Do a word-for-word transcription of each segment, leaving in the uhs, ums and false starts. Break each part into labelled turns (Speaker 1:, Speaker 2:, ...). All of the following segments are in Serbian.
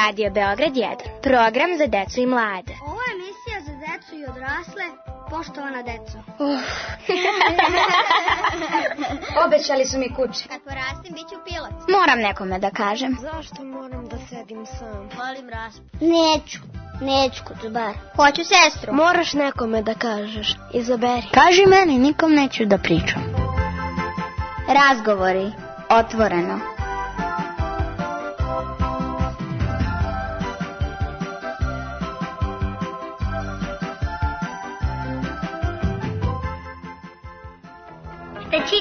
Speaker 1: Radio Beograd jedan, program za decu i mlade.
Speaker 2: Ovo je emisija za decu i odrasle, poštovana deco.
Speaker 1: Uh.
Speaker 3: Obećali su mi kuće.
Speaker 2: Kad porastim, bit ću pilot.
Speaker 1: Moram nekome da kažem.
Speaker 4: Zašto moram da sedim sam?
Speaker 2: Volim raspad.
Speaker 3: Neću, neću kod bar.
Speaker 2: Hoću sestru.
Speaker 4: Moraš nekome da kažeš. Izaberi.
Speaker 1: Kaži meni, nikom neću da pričam. Razgovori, otvoreno.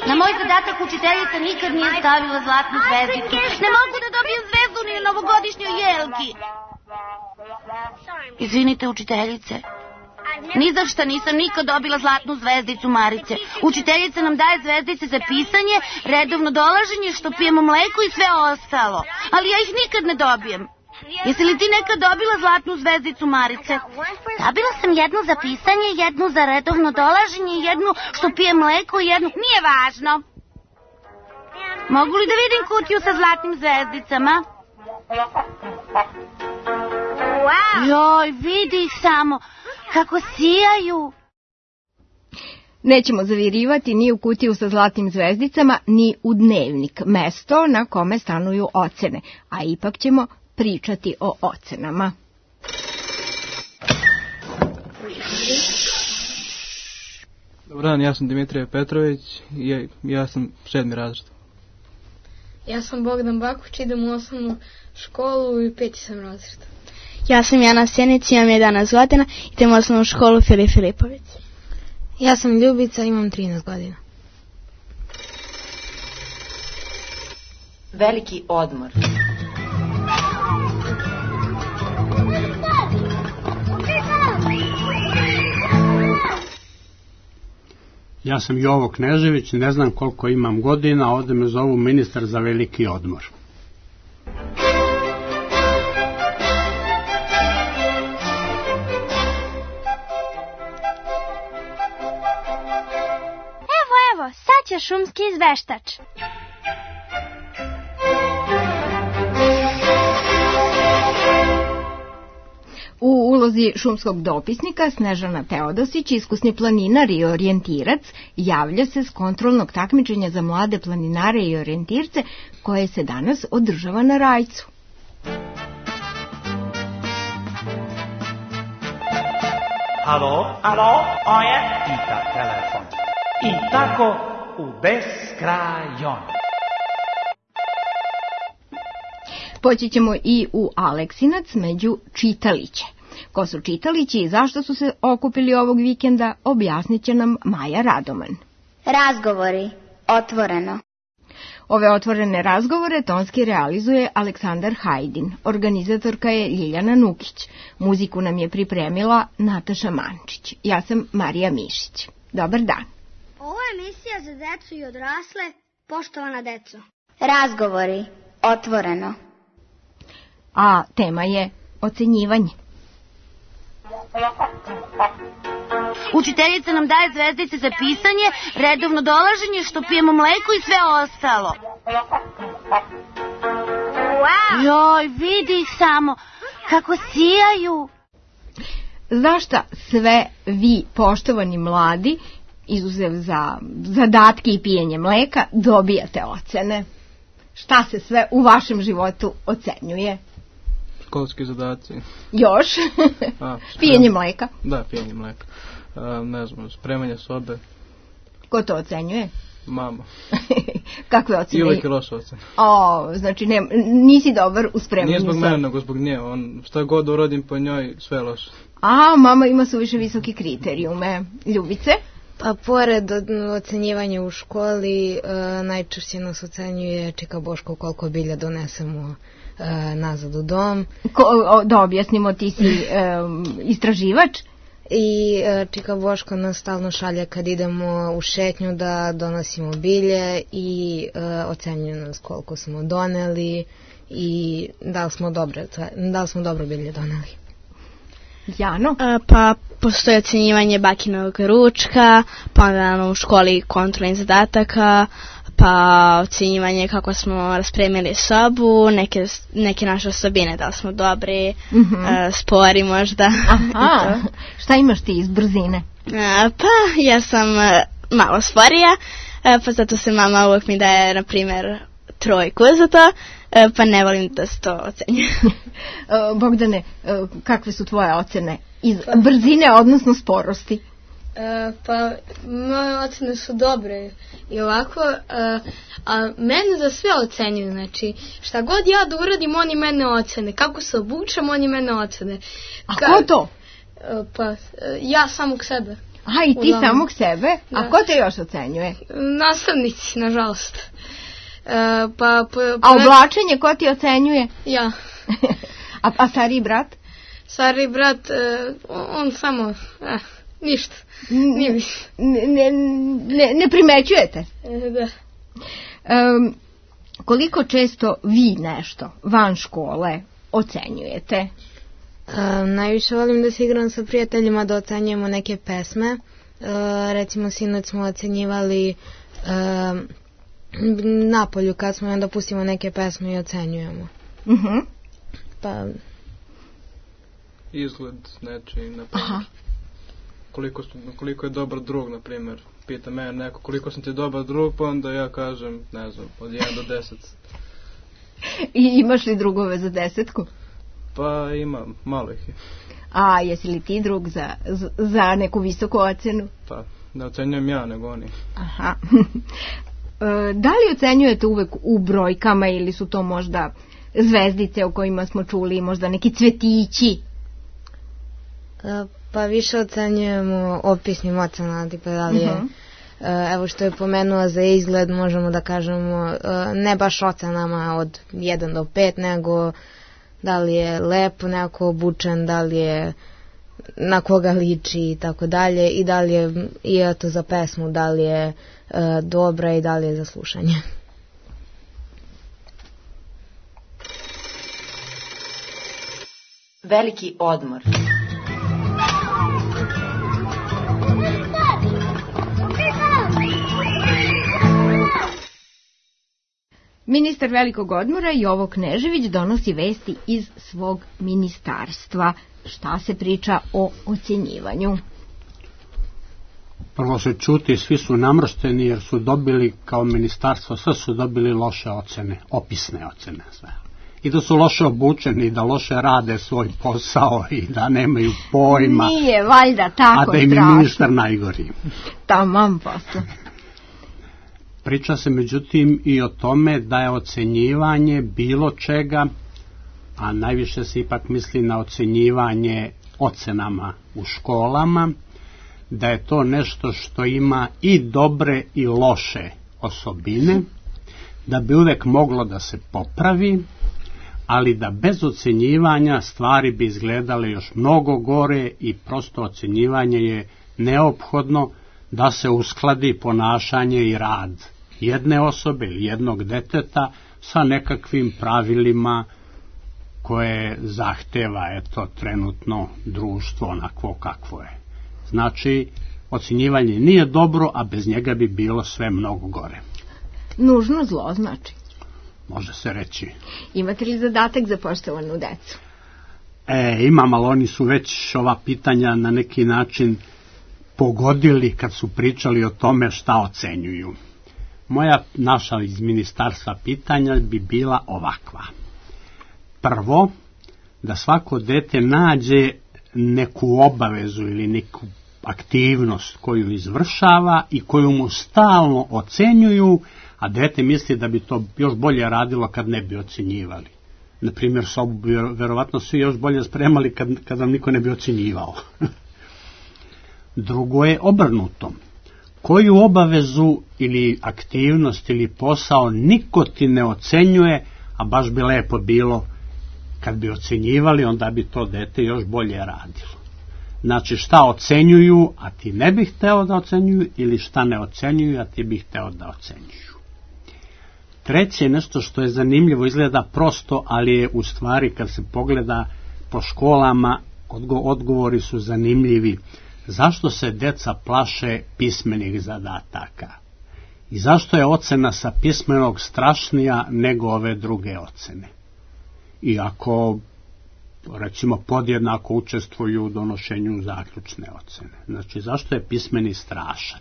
Speaker 5: Na moj zadatak učiteljica nikad nije stavila zlatnu zvezdicu. Ne mogu da dobijem zvezdu ni na novogodišnjoj jelki. Izvinite, učiteljice. Ni za šta nisam nikad dobila zlatnu zvezdicu, Marice. Učiteljica nam daje zvezdice za pisanje, redovno dolaženje, što pijemo mleko i sve ostalo. Ali ja ih nikad ne dobijem. Jesi li ti nekad dobila zlatnu zvezdicu, Marice? Dobila sam jednu za pisanje, jednu za redovno dolaženje, jednu što pije mleko i jednu... Nije važno. Mogu li da vidim kutiju sa zlatnim zvezdicama? Joj, vidi ih samo, kako sijaju.
Speaker 6: Nećemo zavirivati ni u kutiju sa zlatnim zvezdicama, ni u dnevnik, mesto na kome stanuju ocene, a ipak ćemo pričati o ocenama.
Speaker 7: Dobar dan, ja sam Dimitrije Petrović i ja, ja sam sedmi razred.
Speaker 8: Ja sam Bogdan Bakuć, idem u osnovnu školu i peti sam razred.
Speaker 9: Ja sam Jana Sjenić, imam jedanaest godina, idem u osnovnu školu Filip Filipović.
Speaker 10: Ja sam Ljubica, imam trinaest godina.
Speaker 11: Veliki odmor.
Speaker 12: Ja sam Jovo Knežević, ne znam koliko imam godina, ovde me zovu ministar za veliki odmor.
Speaker 2: Evo, evo, sad će šumski izveštač.
Speaker 6: U ulozi šumskog dopisnika Snežana Teodosić, iskusni planinar i orijentirac, javlja se s kontrolnog takmičenja za mlade planinare i orijentirce koje se danas održava na Rajcu.
Speaker 13: Alo, alo, ovo je Ita telefon. I tako u beskrajon.
Speaker 6: Poći ćemo i u Aleksinac među čitaliće. Ko su čitalići i zašto su se okupili ovog vikenda, objasnit će nam Maja Radoman.
Speaker 1: Razgovori, otvoreno.
Speaker 6: Ove otvorene razgovore tonski realizuje Aleksandar Hajdin, organizatorka je Ljiljana Nukić, muziku nam je pripremila Nataša Mančić, ja sam Marija Mišić. Dobar dan.
Speaker 2: Ovo je emisija za decu i odrasle, poštovana deco.
Speaker 1: Razgovori, otvoreno.
Speaker 6: A tema je ocenjivanje.
Speaker 5: Učiteljica nam daje zvezdice za pisanje, redovno dolaženje, što pijemo mleko i sve ostalo. Joj, vidi ih samo, kako sijaju.
Speaker 6: Zašta sve vi, poštovani mladi, izuzev za zadatke i pijenje mleka, dobijate ocene? Šta se sve u vašem životu ocenjuje?
Speaker 7: Školski zadaci.
Speaker 6: Još? A, pijenje mleka?
Speaker 7: Da, pijenje mleka. A, ne znam, spremanje sobe.
Speaker 6: Ko to ocenjuje?
Speaker 7: Mama.
Speaker 6: Kakve ocene?
Speaker 7: I uvijek je loša ocena.
Speaker 6: O, znači ne, nisi dobar u spremanju
Speaker 7: Nije zbog
Speaker 6: sobe.
Speaker 7: mene, nego zbog nje. On, šta god uradim po njoj, sve je loše.
Speaker 6: A, mama ima suviše visoke kriterijume. Ljubice?
Speaker 10: Pa pored ocenjivanja u školi, najčešće nas ocenjuje Čika Boško koliko bilja donesemo nazad u dom.
Speaker 6: Ko, o, da objasnimo, ti si e, istraživač?
Speaker 10: I e, Čika Boško nas stalno šalje kad idemo u šetnju da donosimo bilje i e, ocenjuje nas koliko smo doneli i da li smo dobro, da li smo dobro bilje doneli.
Speaker 6: Jano?
Speaker 9: A, pa postoji ocjenjivanje bakinog ručka, pa onda u školi kontrolnih zadataka, pa ocjenjivanje kako smo raspremili sobu, neke, neke naše osobine, da li smo dobri, mm-hmm. a, spori možda.
Speaker 6: Aha, šta imaš ti iz brzine?
Speaker 9: A, pa ja sam a, malo sporija, a, pa zato se mama uvijek mi daje, na primjer, trojku za to, a, pa ne volim da se to ocenjuje.
Speaker 6: Bogdane, kakve su tvoje ocene iz brzine, odnosno sporosti?
Speaker 8: E, pa moje ocene su dobre i ovako, a, a mene za sve ocenjuju, znači šta god ja da uradim oni mene ocene, kako se obučem oni mene ocene.
Speaker 6: A Ka, ko to?
Speaker 8: E, pa ja samog sebe.
Speaker 6: Aha, i ti samog sebe? Da. A ko te još ocenjuje?
Speaker 8: Nastavnici, nažalost. E, pa, pa,
Speaker 6: a oblačenje ko ti ocenjuje?
Speaker 8: Ja.
Speaker 6: a, a stariji brat?
Speaker 8: Stariji brat, e, on samo... Eh. Ništa.
Speaker 6: Ne, ne, ne, ne primećujete?
Speaker 8: Da.
Speaker 6: Um, koliko često vi nešto van škole ocenjujete?
Speaker 10: Um, najviše volim da se igram sa prijateljima, da ocenjujemo neke pesme. Uh, recimo sinoć smo ocenjivali um, napolju kad smo onda pustimo neke pesme i ocenjujemo.
Speaker 6: Uh-huh.
Speaker 10: Pa...
Speaker 7: Izgled nečiji, na primjer. Koliko, koliko je dobar drug, na primjer, pita mene neko koliko sam ti dobar drug, pa onda ja kažem, ne znam, od jedan do deset.
Speaker 6: I imaš li drugove za desetku?
Speaker 7: Pa imam, malo ih je.
Speaker 6: A jesi li ti drug za, za neku visoku ocenu?
Speaker 7: Pa, ne ocenjujem ja, nego oni.
Speaker 6: Aha. Da li ocenjujete uvek u brojkama ili su to možda zvezdice o kojima smo čuli, možda neki cvetići?
Speaker 10: Pa više ocenjujemo opisnim ocenama, tipa da li je, uh-huh. evo što je pomenula za izgled, možemo da kažemo ne baš ocenama od jedan do pet, nego da li je lepo neko obučen, da li je na koga liči i tako dalje, i da li je, i eto za pesmu, da li je uh, dobra i da li je za slušanje.
Speaker 11: Veliki odmor.
Speaker 6: Ministar velikog odmora Jovo Knežević donosi vesti iz svog ministarstva. Šta se priča o ocjenjivanju?
Speaker 12: Prvo se čuti, svi su namršteni jer su dobili kao ministarstvo, sve su dobili loše ocene, opisne ocene sve. I da su loše obučeni, da loše rade svoj posao i da nemaju pojma.
Speaker 6: Nije valjda tako strašno.
Speaker 12: A da im je ministar najgori.
Speaker 6: Tamam posle.
Speaker 12: Priča se međutim i o tome da je ocenjivanje bilo čega, a najviše se ipak misli na ocenjivanje ocenama u školama, da je to nešto što ima i dobre i loše osobine, da bi uvek moglo da se popravi, ali da bez ocenjivanja stvari bi izgledale još mnogo gore i prosto ocenjivanje je neophodno da se uskladi ponašanje i rad jedne osobe ili jednog deteta sa nekakvim pravilima koje zahteva eto trenutno društvo onako kakvo je. Znači, ocjenjivanje nije dobro, a bez njega bi bilo sve mnogo gore.
Speaker 6: Nužno zlo znači.
Speaker 12: Može se reći.
Speaker 6: Imate li zadatak za poštovanu decu?
Speaker 12: E, imam, ali oni su već ova pitanja na neki način pogodili kad su pričali o tome šta ocenjuju. Moja, naša iz ministarstva pitanja bi bila ovakva. Prvo, da svako dete nađe neku obavezu ili neku aktivnost koju izvršava i koju mu stalno ocenjuju, a dete misli da bi to još bolje radilo kad ne bi ocenjivali. Naprimjer, sobu bi verovatno svi još bolje spremali kad, kad vam niko ne bi ocenjivao. Drugo je obrnuto. Koju obavezu ili aktivnost ili posao niko ti ne ocenjuje, a baš bi lepo bilo kad bi ocenjivali, onda bi to dete još bolje radilo. Znači šta ocenjuju, a ti ne bih hteo da ocenjuju, ili šta ne ocenjuju, a ti bih hteo da ocenjuju. Treće je nešto što je zanimljivo, izgleda prosto, ali je u stvari kad se pogleda po školama Odgo odgovori su zanimljivi. Zašto se deca plaše pismenih zadataka? I zašto je ocena sa pismenog strašnija nego ove druge ocene? I ako, recimo, podjednako učestvuju u donošenju zaključne ocene. Znači, zašto je pismeni strašan?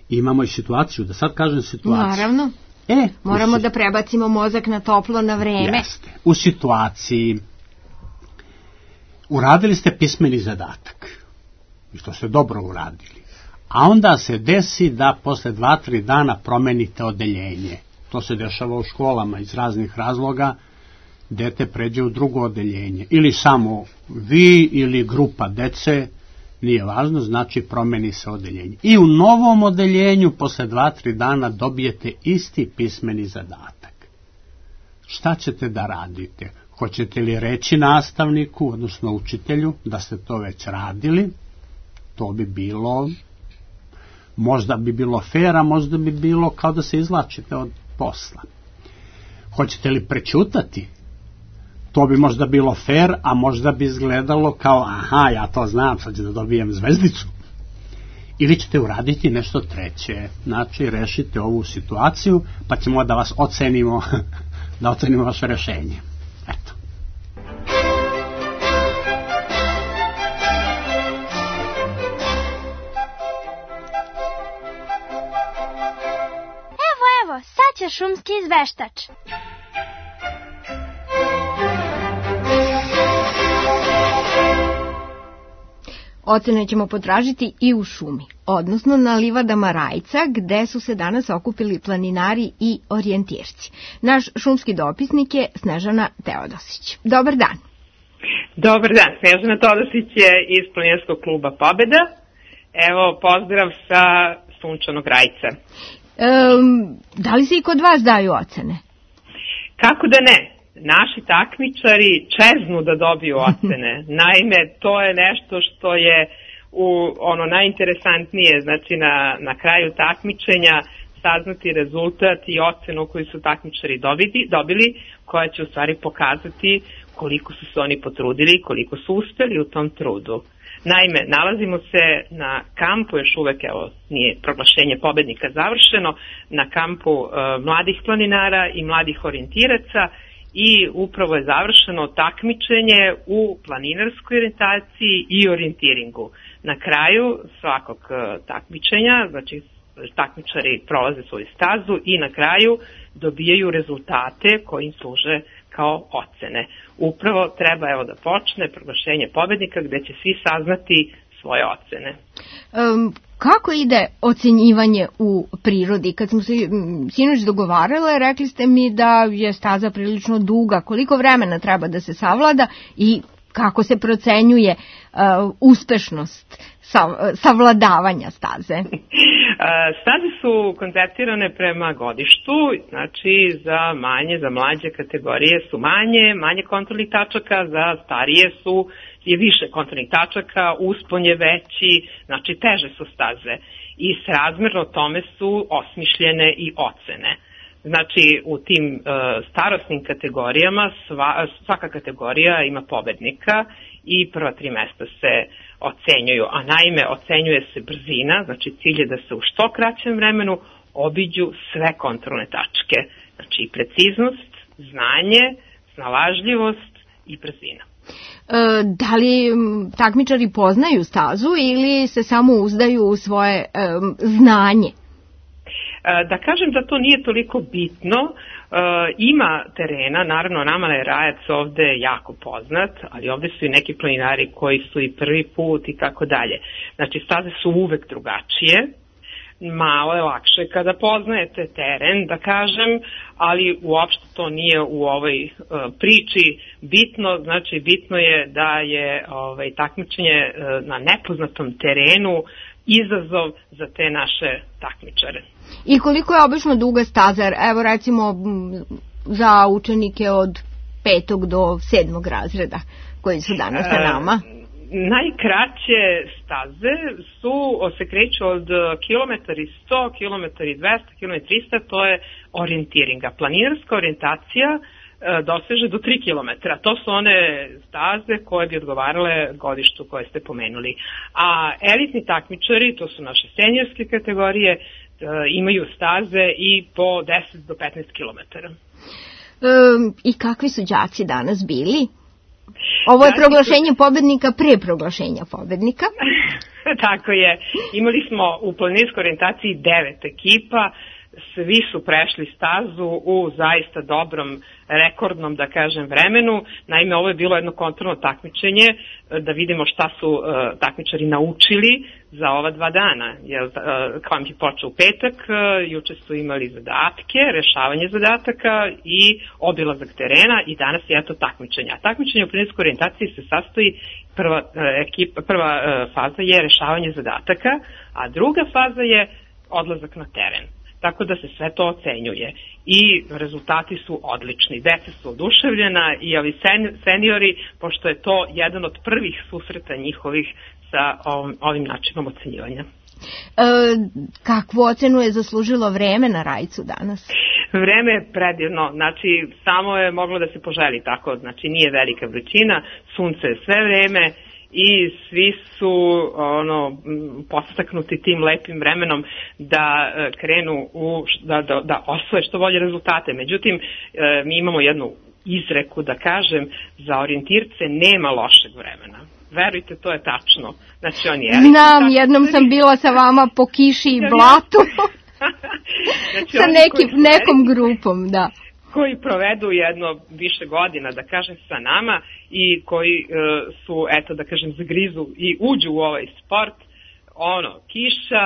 Speaker 12: I imamo i situaciju, da sad kažem situaciju.
Speaker 6: Naravno.
Speaker 12: E,
Speaker 6: Moramo da prebacimo mozak na toplo na vreme.
Speaker 12: Jeste. U situaciji uradili ste pismeni zadatak. I to ste dobro uradili. A onda se desi da posle dva, tri dana promenite odeljenje. To se dešava u školama iz raznih razloga. Dete pređe u drugo odeljenje. Ili samo vi ili grupa dece, nije važno, znači promeni se odeljenje. I u novom odeljenju posle dva, tri dana dobijete isti pismeni zadatak. Šta ćete da radite? Hoćete li reći nastavniku, odnosno učitelju, da ste to već radili? To bi bilo, možda bi bilo fair, a možda bi bilo kao da se izvlačite od posla. Hoćete li prećutati? To bi možda bilo fair, a možda bi izgledalo kao, aha, ja to znam, sad ću da dobijem zvezdicu. Ili ćete uraditi nešto treće. Znači, rešite ovu situaciju, pa ćemo da vas ocenimo, da ocenimo vaše rešenje. Eto.
Speaker 11: Evo, evo, sad će šumski izveštač.
Speaker 6: Ocene ćemo potražiti i u šumi, odnosno na livadama Rajca, gde su se danas okupili planinari i orijentirci. Naš šumski dopisnik je Snežana Teodosić. Dobar dan.
Speaker 14: Dobar dan, Snežana Teodosić je iz Planinarskog kluba Pobeda. Evo, pozdrav sa sunčanog Rajca.
Speaker 6: Um, da li se i kod vas daju ocene?
Speaker 14: Kako da ne? Naši takmičari čeznu da dobiju ocene. Naime, to je nešto što je u ono najinteresantnije, znači na, na kraju takmičenja saznati rezultat i ocenu koju su takmičari dobili, dobili, koja će u stvari pokazati koliko su se oni potrudili, koliko su uspeli u tom trudu. Naime, nalazimo se na kampu, još uvek, evo, nije proglašenje pobednika završeno, na kampu e, mladih planinara i mladih orijentiraca, i upravo je završeno takmičenje u planinarskoj orijentaciji i orijentiringu. Na kraju svakog takmičenja, znači takmičari prolaze svoju stazu i na kraju dobijaju rezultate koji im služe kao ocene. Upravo treba evo da počne proglašenje pobednika gde će svi saznati svoje ocene.
Speaker 6: Um, kako ide ocenjivanje u prirodi? Kad smo se sinoć dogovarale, rekli ste mi da je staza prilično duga. Koliko vremena treba da se savlada i kako se procenjuje uh, uspešnost sav, savladavanja staze?
Speaker 14: Staze su konceptirane prema godištu, znači za manje, za mlađe kategorije su manje, manje kontrolnih tačaka, za starije su je više kontrolnih tačaka, uspon je veći, znači teže su staze i srazmerno tome su osmišljene i ocene. Znači u tim uh, starosnim kategorijama sva, svaka kategorija ima pobednika i prva tri mesta se ocenjuju, a naime ocenjuje se brzina, znači cilj je da se u što kraćem vremenu obiđu sve kontrolne tačke, znači i preciznost, znanje, snalažljivost i brzina.
Speaker 6: E, da li takmičari poznaju stazu ili se samo uzdaju u svoje e, znanje?
Speaker 14: Da kažem da to nije toliko bitno, e, ima terena, naravno nama je Rajac ovde jako poznat, ali ovde su i neki planinari koji su i prvi put i tako dalje. Znači staze su uvek drugačije, malo je lakše kada poznajete teren, da kažem, ali uopšte to nije u ovoj uh, priči bitno, znači bitno je da je ovaj, takmičenje uh, na nepoznatom terenu izazov za te naše takmičare.
Speaker 6: I koliko je obično duga staza, evo recimo za učenike od petog do sedmog razreda koji su danas sa nama?
Speaker 14: Uh, Najkraće staze su, se kreću od kilometar i sto, kilometar i dvesta, kilometar i trista, to je orijentiringa. Planinarska orijentacija doseže do tri kilometra. To su one staze koje bi odgovarale godištu koje ste pomenuli. A elitni takmičari, to su naše seniorske kategorije, imaju staze i po deset do petnaest kilometara.
Speaker 6: Um, I kakvi su đaci danas bili? Ovo je proglašenje pobednika pre proglašenja pobednika.
Speaker 14: Tako je. Imali smo u planinarskoj orijentaciji devet ekipa, svi su prešli stazu u zaista dobrom, rekordnom, da kažem, vremenu. Naime, ovo je bilo jedno kontrolno takmičenje, da vidimo šta su uh, takmičari naučili za ova dva dana. Jer, uh, kamp je počeo u petak, uh, juče su imali zadatke, rešavanje zadataka i obilazak terena i danas je eto takmičenja. Takmičenje u planinarskoj orijentaciji se sastoji, prva, uh, ekipa, prva uh, faza je rešavanje zadataka, a druga faza je odlazak na teren. Tako da se sve to ocenjuje i rezultati su odlični. Deca su oduševljena i ovi seniori, pošto je to jedan od prvih susreta njihovih sa ovim, ovim načinom ocenjivanja.
Speaker 6: E, kakvu ocenu je zaslužilo vreme na Rajcu danas?
Speaker 14: Vreme je predivno, znači samo je moglo da se poželi tako, znači nije velika vrućina, sunce je sve vreme i svi su ono podstaknuti tim lepim vremenom da krenu u, da, da, da osvoje što bolje rezultate. Međutim, mi imamo jednu izreku, da kažem, za orijentirce nema lošeg vremena. Verujte, to je tačno. Znači, oni je...
Speaker 6: Znam, jednom sam bila sa vama po kiši i blatu. Znači, sa nekim, nekom grupom, da.
Speaker 14: Koji provedu jedno više godina, da kažem, sa nama i koji uh, su, eto, da kažem, zagrizu i uđu u ovaj sport, ono, kiša,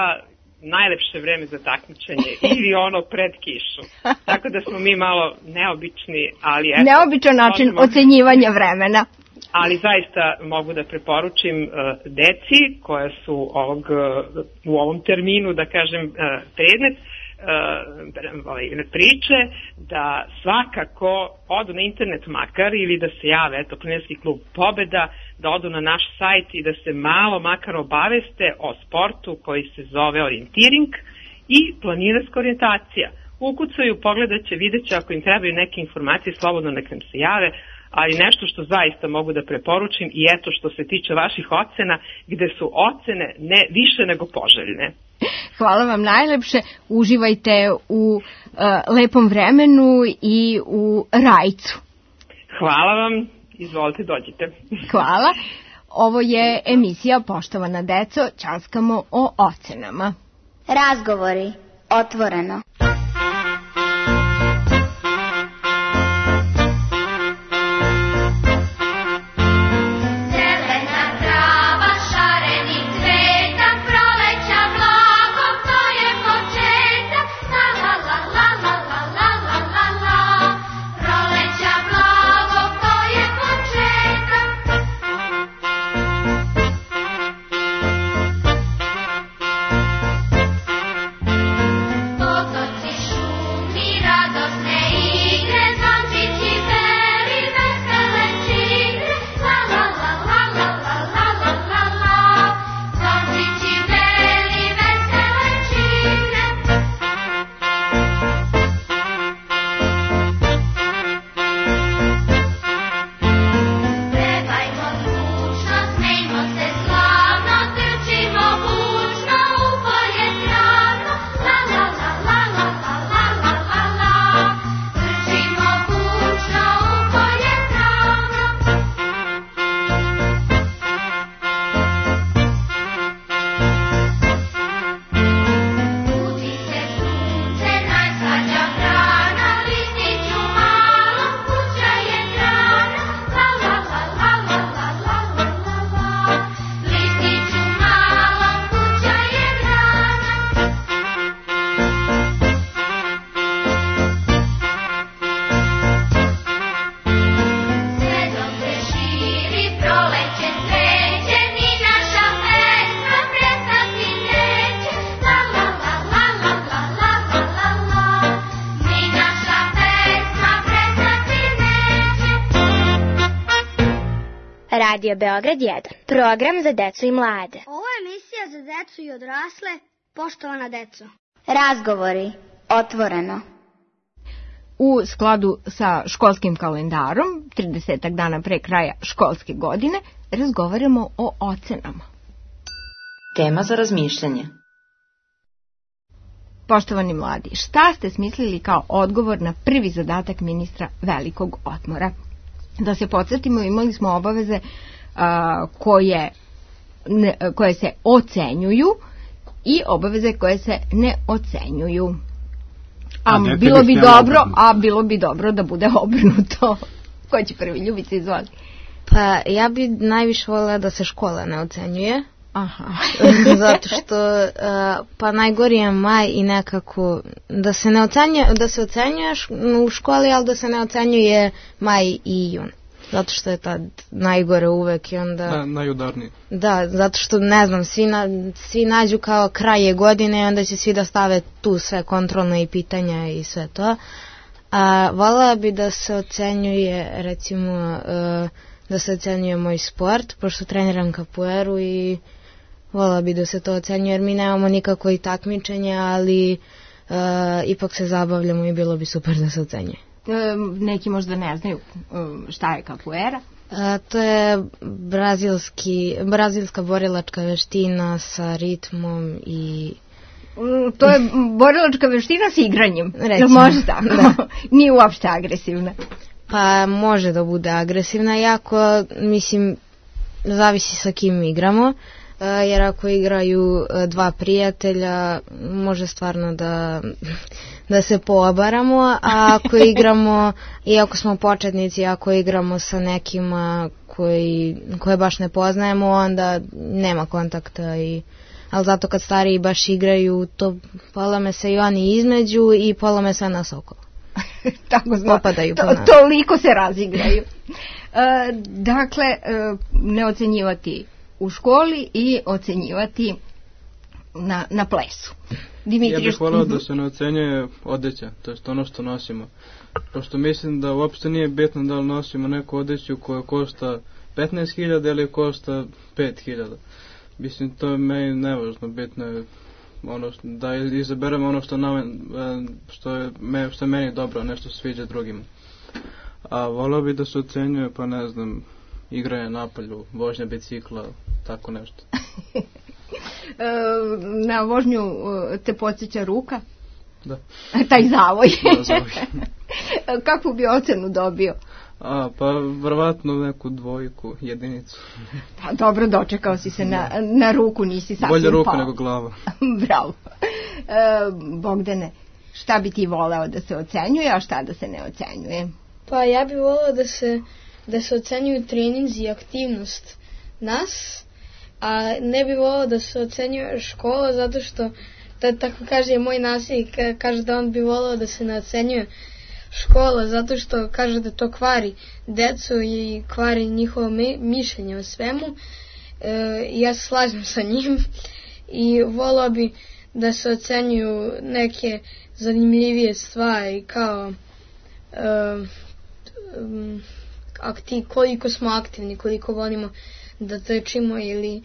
Speaker 14: najlepše vreme za takmičenje ili ono pred kišu. Tako da smo mi malo neobični, ali... Eto,
Speaker 6: neobičan način možemo... ocenjivanja vremena.
Speaker 14: Ali zaista mogu da preporučim uh, deci koja su ovog, uh, u ovom terminu, da kažem, uh, predmet, Uh, ovaj, priče, da svakako odu na internet makar ili da se jave, eto, Planinarski klub Pobeda, da odu na naš sajt i da se malo makar obaveste o sportu koji se zove orijentiring i planinarska orijentacija. Ukucaju, pogledat će, vidjet će, ako im trebaju neke informacije, slobodno nek nam se jave, ali nešto što zaista mogu da preporučim i eto što se tiče vaših ocena, gde su ocene ne više nego poželjne.
Speaker 6: Hvala vam najlepše, uživajte u uh, lepom vremenu i u Rajcu.
Speaker 14: Hvala vam, izvolite, dođite.
Speaker 6: Hvala. Ovo je emisija Poštovana deco, ćaskamo o ocenama.
Speaker 1: Razgovori, otvoreno.
Speaker 11: Radio Beograd jedan. Program za decu i mlade.
Speaker 2: Ovo je emisija za decu i odrasle. Poštovana deco.
Speaker 1: Razgovori, otvoreno.
Speaker 6: u skladu sa školskim kalendarom, tridesetak dana pre kraja školske godine, razgovaramo o ocenama.
Speaker 15: Tema za razmišljanje.
Speaker 6: Poštovani mladi, šta ste smislili kao odgovor na prvi zadatak ministra velikog odmora? Da se podsjetimo, imali smo obaveze a, koje, ne, koje se ocenjuju i obaveze koje se ne ocenjuju. A, a bilo bi dobro, a bilo bi dobro da bude obrnuto. Ko će prvi? Ljubica, izvoli.
Speaker 10: Pa ja bi najviše voljela da se škola ne ocenjuje.
Speaker 6: Aha.
Speaker 10: Zato što uh, pa najgori je maj i nekako da se ne ocenjuje, da se ocenjuješ u školi, ali da se ne ocenjuje maj i jun. Zato što je tad najgore uvek i onda...
Speaker 7: Na, najudarniji.
Speaker 10: Da, zato što, ne znam, svi, na, svi nađu kao kraje godine i onda će svi da stave tu sve kontrolne i pitanja i sve to. A voljela bi da se ocenjuje, recimo, uh, da se ocenjuje moj sport, pošto treniram kapueru i voljela bi da se to ocenjuje, jer mi nemamo nikako i takmičenja, ali uh, ipak se zabavljamo i bilo bi super da se ocenjuje.
Speaker 6: Neki možda ne znaju šta je kapuera.
Speaker 10: A, to je brazilski, brazilska borilačka veština sa ritmom i...
Speaker 6: To je borilačka veština s igranjem.
Speaker 10: Recimo,
Speaker 6: može tako? Da. Nije uopšte agresivna.
Speaker 10: Pa može da bude agresivna, jako, mislim, zavisi sa kim igramo. Jer ako igraju dva prijatelja, može stvarno da, da se poobaramo, a ako igramo, i ako smo početnici, ako igramo sa nekima koji, koje baš ne poznajemo, onda nema kontakta. I, ali zato kad stariji baš igraju, to polome se i oni između i polome se nas okolo.
Speaker 6: Tako zna,
Speaker 10: popadaju po nas.
Speaker 6: Toliko se razigraju. E, dakle, e, ne ocenjivati u školi i ocenjivati na, na plesu.
Speaker 7: Dimitri, ja bih volao da se ne ocenjuje odeća, to je ono što nosimo. Pošto mislim da uopšte nije bitno da li nosimo neku odeću koja košta petnaest hiljada ili košta pet hiljada. Mislim, to je meni nevažno, bitno je ono što, da izaberemo ono što, na, što, je, što je meni dobro, nešto se sviđa drugima. A volao bi da se ocenjuje, pa ne znam, igranje napolju, vožnja bicikla, tako nešto.
Speaker 6: Na vožnju te podsjeća ruka?
Speaker 7: Da.
Speaker 6: Taj zavoj.
Speaker 7: Da, zavoj.
Speaker 6: Kakvu bi ocenu dobio?
Speaker 7: A, pa vrvatno neku dvojku, jedinicu.
Speaker 6: Pa dobro, dočekao si se na, na ruku, nisi sasvim pao.
Speaker 7: Bolje ruka nego glava.
Speaker 6: Bravo. E, Bogdane, šta bi ti voleo da se ocenjuje, a šta da se ne ocenjuje?
Speaker 8: Pa ja bih voleo da se, da se ocenjuju treninzi i aktivnost nas, a ne bih voleo da se ocenjuje škola, zato što, da, tako kaže moj nasljednik, kaže da on bi voleo da se ne ocenjuje škola, zato što kaže da to kvari decu i kvari njihovo mišljenje o svemu. E, ja se slažem sa njim i volao bi da se ocenjuju neke zanimljivije stvari kao e, aktiv, koliko smo aktivni, koliko volimo da trčimo ili,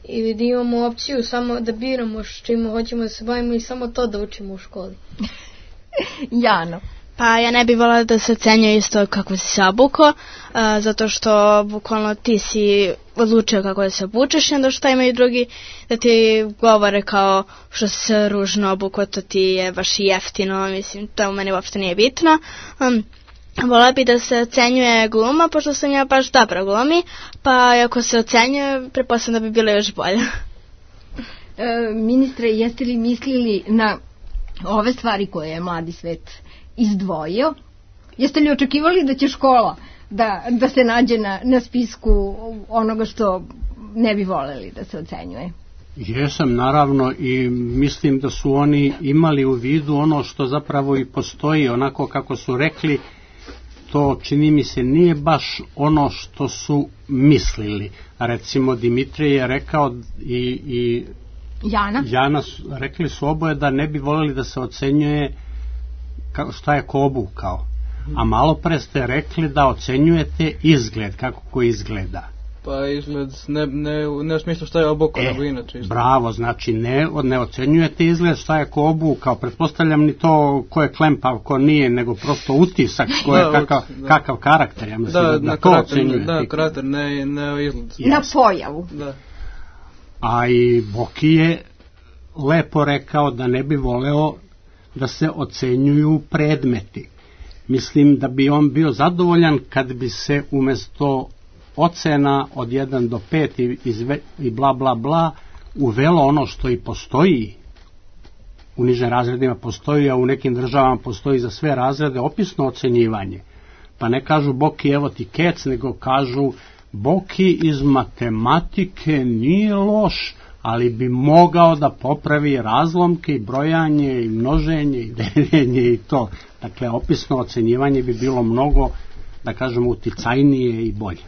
Speaker 8: ili da imamo opciju samo da biramo čime hoćemo da se bavimo i samo to da učimo u školi.
Speaker 6: Jano.
Speaker 9: Pa ja ne bih volila da se ocenjuje isto kako si se obukao, zato što bukvalno ti si odlučio kako da se obučeš i onda što imaju drugi da ti govore kao što si se ružno obukao, to ti je baš jeftino, mislim, to u meni uopšte nije bitno. Um, Volila bi da se ocenjuje gluma, pošto sam ja baš dobra glumi, pa ako se ocenjuje, pretpostavljam da bi bilo još bolje.
Speaker 6: E, ministre, jeste li mislili na ove stvari koje je mladi svet izdvojio? Jeste li očekivali da će škola da, da se nađe na, na spisku onoga što ne bi voleli da se ocenjuje?
Speaker 12: Jesam, naravno, i mislim da su oni imali u vidu ono što zapravo i postoji, onako kako su rekli, to čini mi se nije baš ono što su mislili. Recimo Dimitrije je rekao i, i
Speaker 6: Jana,
Speaker 12: Jana rekli su oboje da ne bi voljeli da se ocenjuje šta je ko obukao. A malo pre ste rekli da ocenjujete izgled, kako ko izgleda.
Speaker 7: Pa izgled, ne, ne, ne u smislu šta je oboko,
Speaker 12: e,
Speaker 7: nego inače. Izgled.
Speaker 12: Bravo, znači ne, ne ocenjujete izgled šta je ko obukao, pretpostavljam ni to ko je klempav, ko nije, nego prosto utisak, ko je da, kakav, da. kakav karakter, ja mislim da, da, da to
Speaker 7: karakter,
Speaker 12: ocenjujete.
Speaker 7: Da, karakter, ne, ne izgled.
Speaker 6: Yes. Na pojavu.
Speaker 7: Da.
Speaker 12: A i Boki je lepo rekao da ne bi voleo da se ocenjuju predmeti. Mislim da bi on bio zadovoljan kad bi se umesto ocena od jedan do pet i, izve, i bla bla bla uvelo ono što i postoji u nižim razredima postoji, a u nekim državama postoji za sve razrede opisno ocenjivanje. Pa ne kažu Boki evo ti kec, nego kažu Boki iz matematike nije loš, ali bi mogao da popravi razlomke i brojanje i množenje i deljenje i to. Dakle, opisno ocenjivanje bi bilo mnogo, da kažemo, uticajnije i bolje.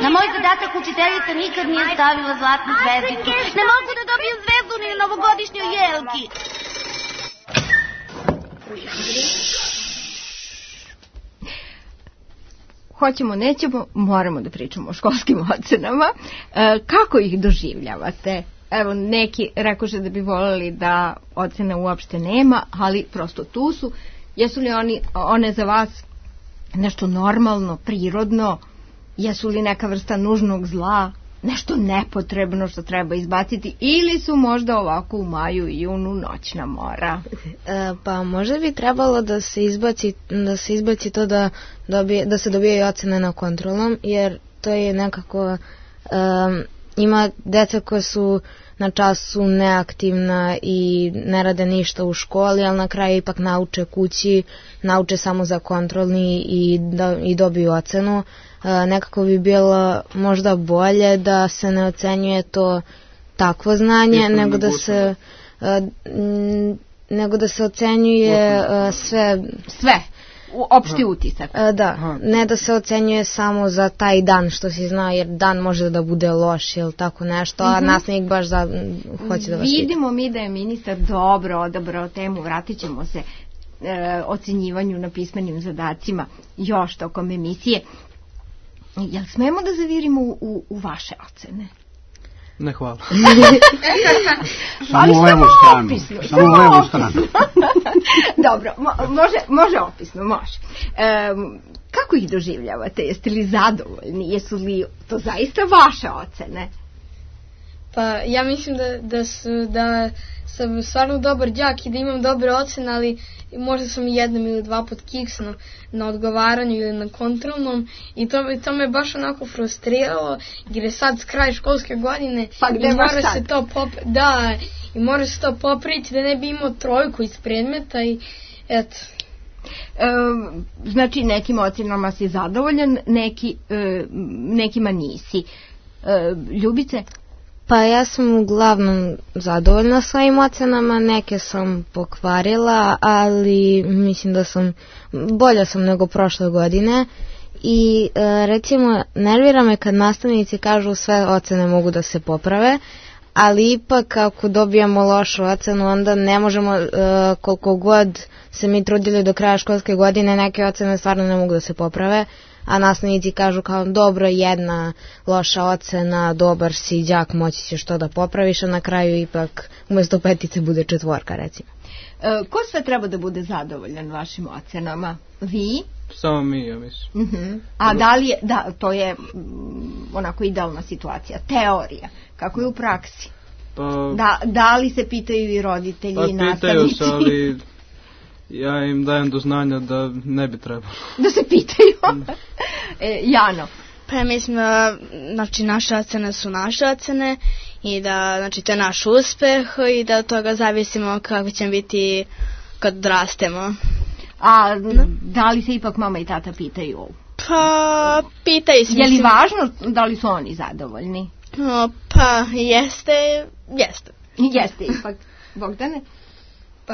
Speaker 5: Na moj zadatak učiteljica nikad nije stavila zlatnu zvezdicu. Ne mogu da dobijem zvezdu ni na novogodišnjoj jelki.
Speaker 6: Hoćemo, nećemo, moramo da pričamo o školskim ocenama. E, kako ih doživljavate? Evo, neki rekoše da bi voljeli da ocene uopšte nema, ali prosto tu su. Jesu li oni, one za vas nešto normalno, prirodno? Jesu li neka vrsta nužnog zla? Nešto nepotrebno što treba izbaciti? Ili su možda ovako u maju i junu noćna mora?
Speaker 10: E, pa možda bi trebalo da se izbaci, da se izbaci to da, dobije, da se dobijaju ocene na kontrolnom, jer to je nekako... Um, ima deca koja su na času neaktivna i ne rade ništa u školi, ali na kraju ipak nauče kući, nauče samo za kontrolni i, da, i dobiju ocenu. E, nekako bi bilo možda bolje da se ne ocenjuje to takvo znanje, Isto nego da se e, m, nego da se ocenjuje e, sve
Speaker 6: sve opšti utisak.
Speaker 10: E, da, Aha. ne da se ocenjuje samo za taj dan što si znao, jer dan može da bude loš ili tako nešto, a uh-huh. nastavnik baš za, hoće da vas vidi.
Speaker 6: Vidimo mi da je ministar dobro odabrao temu, vratit ćemo se e, ocenjivanju na pismenim zadacima još tokom emisije. Jel smemo da zavirimo u, u, u vaše ocene?
Speaker 7: Ne, hvala.
Speaker 12: Samo u levu stranu. Samo u levu stranu.
Speaker 6: Dobro, mo- može, može opisno, može. Um, kako ih doživljavate? Jeste li zadovoljni? Jesu li to zaista vaše ocene?
Speaker 8: Pa ja mislim da, da, su, da sam stvarno dobar đak i da imam dobre ocene, ali možda sam i jednom ili dva put kiksno na odgovaranju ili na kontrolnom i to, to me baš onako frustriralo, jer je sad kraj školske godine
Speaker 6: pa gde
Speaker 8: i mora se to pop, da, i mora se to popraviti da ne bi imao trojku iz predmeta i eto.
Speaker 6: E, znači nekim ocenama si zadovoljan, neki, e, nekima nisi. E, Ljubice?
Speaker 10: Pa ja sam uglavnom zadovoljna svojim ocenama, neke sam pokvarila, ali mislim da sam, bolja sam nego prošle godine i e, recimo nervira me kad nastavnici kažu sve ocene mogu da se poprave, ali ipak ako dobijamo lošu ocenu onda ne možemo, e, koliko god se mi trudili do kraja školske godine, neke ocene stvarno ne mogu da se poprave, a nastavnici kažu kao dobro, jedna loša ocena, dobar si đak, moći ćeš to da popraviš, a na kraju ipak umjesto petice bude četvorka, recimo.
Speaker 6: E, ko sve treba da bude zadovoljan vašim ocenama? Vi?
Speaker 7: Samo mi, ja mislim.
Speaker 6: Uh-huh. A da li je, da, to je mm, onako idealna situacija, teorija, kako je u praksi?
Speaker 7: Pa,
Speaker 6: da, da li se pitaju i roditelji
Speaker 7: pa,
Speaker 6: i nastavnici? Pa
Speaker 7: pitaju se, ali ja im dajem do znanja da ne bi trebalo.
Speaker 6: Da se pitaju? e, Jano?
Speaker 9: Pa mislim da, znači, naše ocene su naše ocene i da, znači, to je naš uspeh i da od toga zavisimo kako ćemo biti kad rastemo.
Speaker 6: A no? Da li se ipak mama i tata pitaju?
Speaker 9: Pa, pitaju se.
Speaker 6: Je li važno da li su oni zadovoljni?
Speaker 9: No, pa, jeste, jeste.
Speaker 6: Jeste ipak. Bogdane?
Speaker 8: Pa,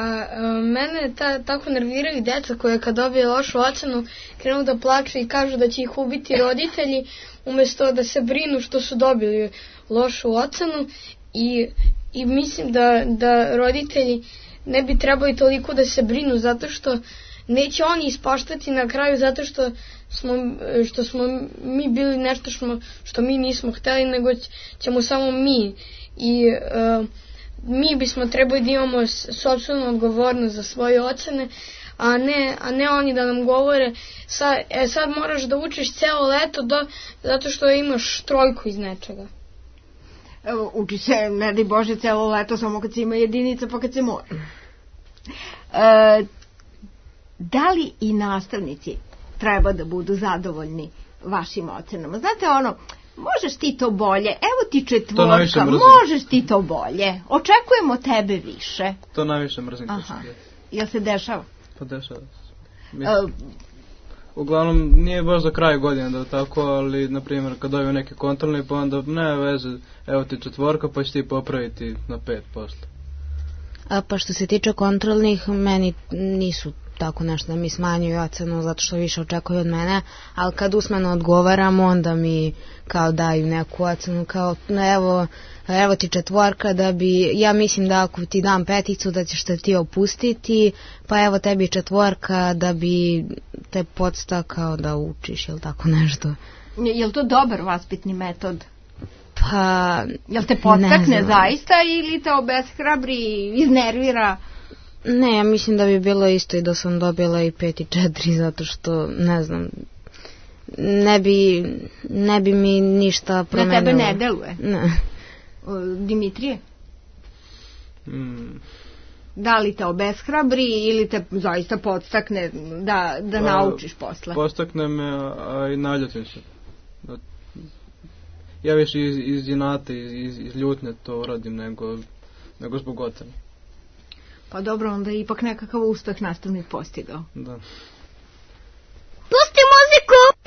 Speaker 8: mene ta, tako nerviraju deca koje kad dobije lošu ocenu krenu da plaču i kažu da će ih ubiti roditelji umjesto da se brinu što su dobili lošu ocenu i, i mislim da, da roditelji ne bi trebali toliko da se brinu zato što neće oni ispaštati na kraju zato što smo, što smo mi bili nešto što, što mi nismo hteli, nego ćemo samo mi. I uh, mi bismo trebali da imamo sopstvenu odgovornost za svoje ocene, a ne, a ne oni da nam govore sad, e, sad moraš da učiš celo leto do, zato što imaš trojku iz nečega.
Speaker 6: Evo, uči se, ne daj Bože, celo leto samo kad se ima jedinica pa kad se mora. E, da li i nastavnici treba da budu zadovoljni vašim ocenama? Znate ono, možeš ti to bolje, evo ti četvorka, možeš ti to bolje, očekujemo tebe više.
Speaker 7: To najviše mrzim.
Speaker 6: Aha, jel se dešava?
Speaker 7: Pa dešava se. Mislim, uh, uglavnom nije baš za kraj godine da tako, ali na primjer kad dobiju neke kontrolne pa onda ne veze, evo ti četvorka pa će ti popraviti na pet posle.
Speaker 10: A pa što se tiče kontrolnih, meni nisu tako nešto da mi smanjuju ocenu zato što više očekuju od mene, ali kad usmeno odgovaram onda mi kao daju neku ocenu kao evo, evo ti četvorka da bi, ja mislim da ako ti dam peticu da ćeš te ti opustiti, pa evo tebi četvorka da bi te podstakao da učiš ili tako nešto.
Speaker 6: Je li to dobar vaspitni metod?
Speaker 10: Pa,
Speaker 6: jel te podstakne zaista ili te obeshrabri, iznervira?
Speaker 10: Ne, ja mislim da bi bilo isto i da sam dobila i pet i četiri, zato što, ne znam, ne bi, ne bi mi ništa promenilo.
Speaker 6: Na tebe ne deluje?
Speaker 10: Ne.
Speaker 6: Dimitrije?
Speaker 7: Mm.
Speaker 6: Da li te obeshrabri ili te zaista podstakne da, da pa, naučiš posle?
Speaker 7: Podstakne me, a i naljutim se. Ja više iz, iz inata, iz, iz ljutnje to radim nego, nego zbog ocene.
Speaker 6: Pa dobro, onda je ipak nekakav uspeh nastavnik postigao.
Speaker 7: Da.
Speaker 2: Pusti muziku!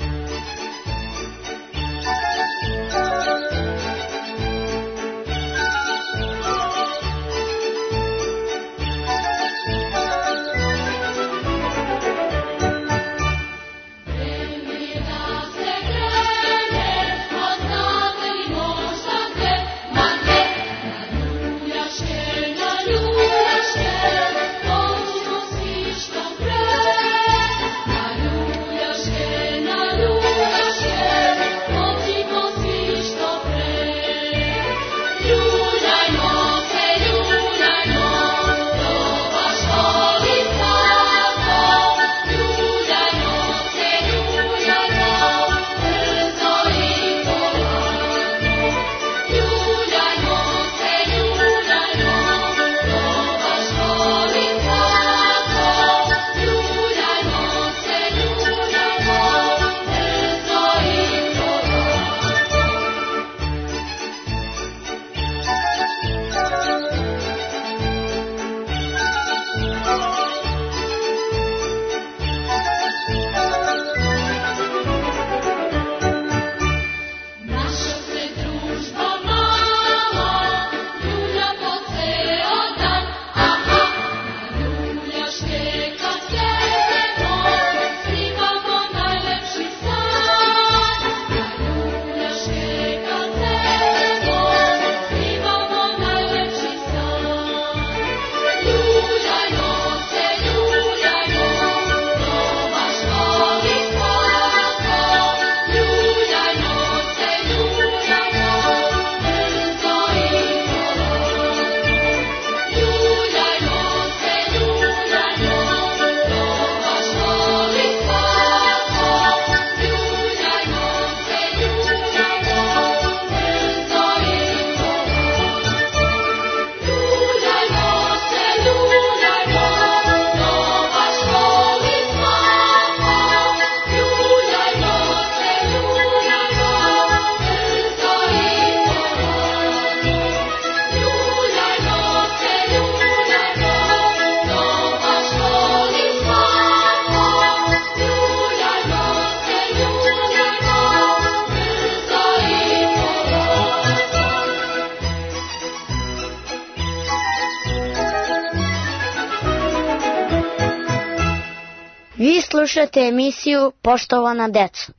Speaker 11: Vi slušate emisiju Poštovana deco.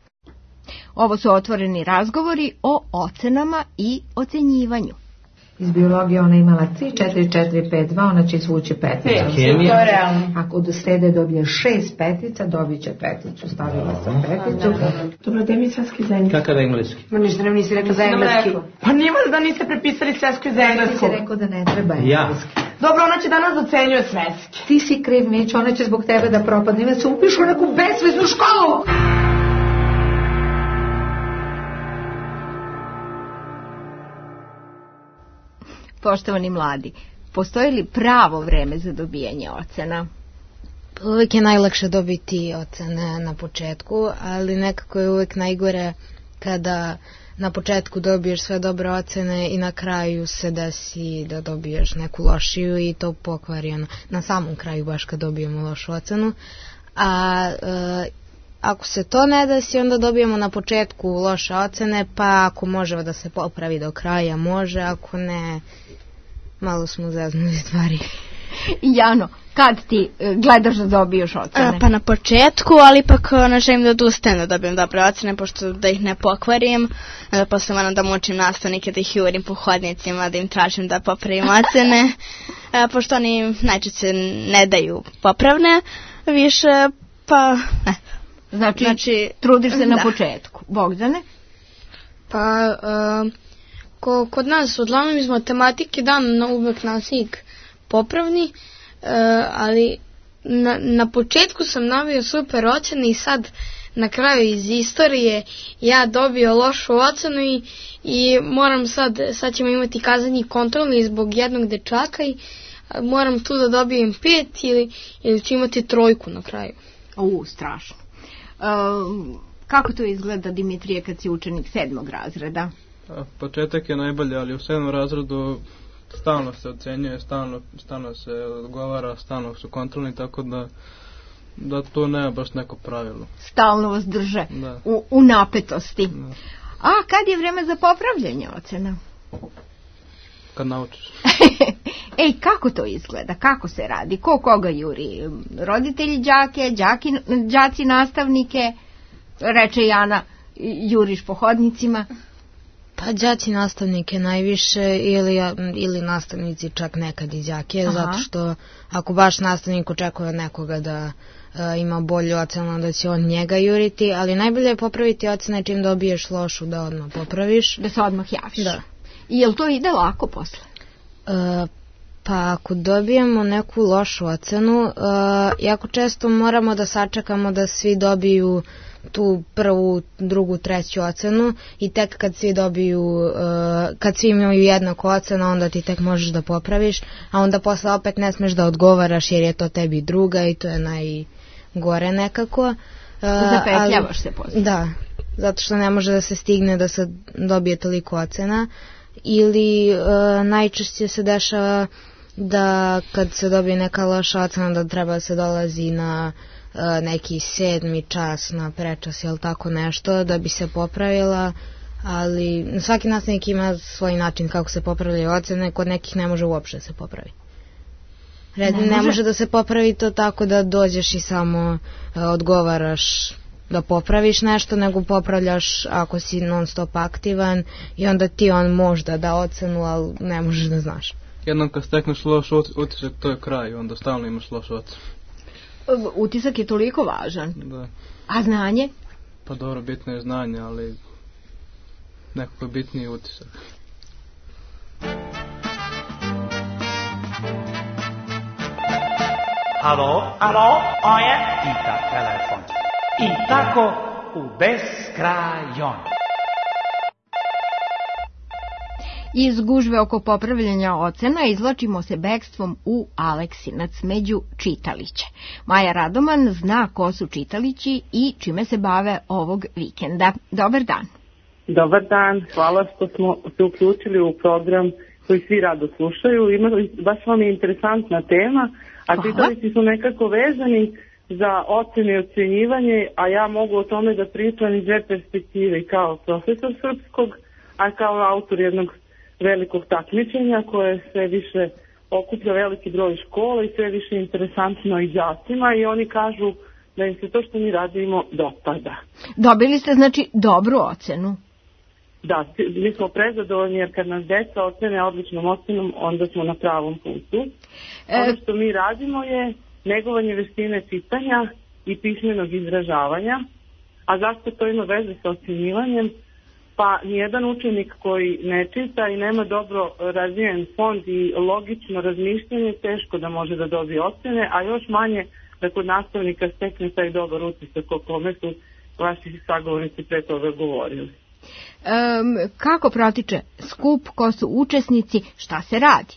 Speaker 6: Ovo su otvoreni razgovori o ocenama i ocenjivanju.
Speaker 16: Iz biologije ona imala tri, četiri, četiri, pet, dva, ona će izvući peticu.
Speaker 17: To je realno.
Speaker 16: Ako do srede dobije šest petica, dobit će peticu. Stavila sam peticu.
Speaker 17: Dobro, gde mi je svetski za engleski?
Speaker 18: Kakav engleski?
Speaker 16: Ma ništa nam nisi rekao za engleski.
Speaker 17: Pa nima da niste prepisali svetski za engleski.
Speaker 16: Nisi rekao da ne treba engleski.
Speaker 17: Dobro, ona će danas docenjuje svetski.
Speaker 16: Ti si kriv, Mić, ona će zbog tebe da propadne. Ima se upišu u neku besveznu školu.
Speaker 6: Poštovani mladi, postoji li pravo vreme za dobijanje ocena?
Speaker 10: Uvijek je najlakše dobiti ocene na početku, ali nekako je uvijek najgore kada na početku dobiješ sve dobre ocene i na kraju se desi da dobiješ neku lošiju i to pokvari ono, na samom kraju baš kad dobijemo lošu ocenu. A e, ako se to ne desi, onda dobijemo na početku loše ocene, pa ako može da se popravi do kraja, može, ako ne, malo smo zeznuli stvari.
Speaker 6: Jano, kad ti gledaš da dobiješ ocene?
Speaker 9: A, pa na početku, ali ipak ne želim da odustajem da dobijem dobre ocene, pošto da ih ne pokvarim. Da posle moram da mučim nastavnike, da ih jurim po hodnicima, da im tražim da popravim ocene, a, pošto oni najčešće ne daju popravne više, pa... Ne.
Speaker 6: Znači, znači trudiš se na
Speaker 9: da.
Speaker 6: početku. Bogdane?
Speaker 8: Pa, uh, ko, kod nas, uglavnom iz matematike dan na uvek nastavnik popravni, uh, ali na, na početku sam nabio super ocene i sad na kraju iz istorije ja dobio lošu ocenu i, i moram sad, sad ćemo imati kazani kontrolni zbog jednog dečaka i moram tu da dobijem pet ili, ili ću imati trojku na kraju.
Speaker 6: U, strašno. Uh, kako to izgleda, Dimitrije, kad si učenik sedmog razreda?
Speaker 7: A, početak je najbolji, ali u sedmom razredu stalno se ocenjuje, stalno, stalno se odgovara, stalno su kontrolni, tako da, da to nema baš neko pravilo.
Speaker 6: Stalno vas drže u, u napetosti. Da. A kad je vreme za popravljanje ocena?
Speaker 7: Kad naučiš.
Speaker 6: Ej, kako to izgleda? Kako se radi? Ko koga juri? Roditelji đake, đaki, đaci nastavnike? Reče Jana, juriš po hodnicima?
Speaker 10: Pa đaci nastavnike najviše ili, ili nastavnici čak nekad i đake, aha, zato što ako baš nastavnik očekuje od nekoga da a, ima bolju ocenu, da će on njega juriti, ali najbolje je popraviti ocene čim dobiješ lošu da odmah popraviš.
Speaker 6: Da se odmah javiš.
Speaker 10: Da.
Speaker 6: I jel to ide lako posle?
Speaker 10: E, pa ako dobijemo neku lošu ocenu, e, jako često moramo da sačekamo da svi dobiju tu prvu, drugu, treću ocenu i tek kad svi dobiju, uh, kad svi imaju jednaku ocenu, onda ti tek možeš da popraviš, a onda posle opet ne smeš da odgovaraš jer je to tebi druga i to je najgore nekako. Uh,
Speaker 6: Zapetljavaš ali, se posle.
Speaker 10: Da, zato što ne može da se stigne da se dobije toliko ocena ili uh, najčešće se dešava da kad se dobije neka loša ocena da treba da se dolazi na neki sedmi čas na prečas ili tako nešto da bi se popravila, ali svaki nastavnik ima svoj način kako se popravljaju ocene, kod nekih ne može uopšte se popravi. Red, ne, ne može. može da se popravi to tako da dođeš i samo uh, odgovaraš da popraviš nešto, nego popravljaš ako si non stop aktivan i onda ti on možda da ocenu, ali ne možeš da znaš.
Speaker 7: Jednom kad stekneš loš utisak, to je kraj, onda stalno imaš loš ocenu.
Speaker 6: Utisak je toliko važan.
Speaker 7: Da.
Speaker 6: A znanje?
Speaker 7: Pa dobro, bitno je znanje, ali nekako je bitniji utisak.
Speaker 13: Alo, alo, ovo je Tita telefon. I tako u beskrajon.
Speaker 6: Iz gužve oko popravljanja ocena izvlačimo se bekstvom u Aleksinac među čitaliće. Maja Radoman zna ko su čitalići i čime se bave ovog vikenda. Dobar dan.
Speaker 19: Dobar dan, hvala što smo se uključili u program koji svi rado slušaju. Ima, baš vam je interesantna tema, a hvala. Čitalići su nekako vezani za ocene i ocenjivanje, a ja mogu o tome da pričam iz dve perspektive, kao profesor srpskog, a kao autor jednog velikog takmičenja koje sve više okuplja veliki broj škola i sve više interesantno i đacima i oni kažu da im se to što mi radimo dopada.
Speaker 6: Dobili ste znači dobru ocenu?
Speaker 19: da, mi smo prezadovoljni jer kad nas deca ocene odličnom ocenom, onda smo na pravom putu. E... Ono što mi radimo je negovanje veštine čitanja i pismenog izražavanja. A zašto to ima veze sa ocenjivanjem? Pa nijedan učenik koji ne čita i nema dobro razvijen fond i logično razmišljanje teško da može da dobije ocene, a još manje da kod nastavnika stekne taj dobar utisak o kome su vaši sagovornici pre toga govorili.
Speaker 6: Um, kako protiče skup, ko su učesnici, šta se radi?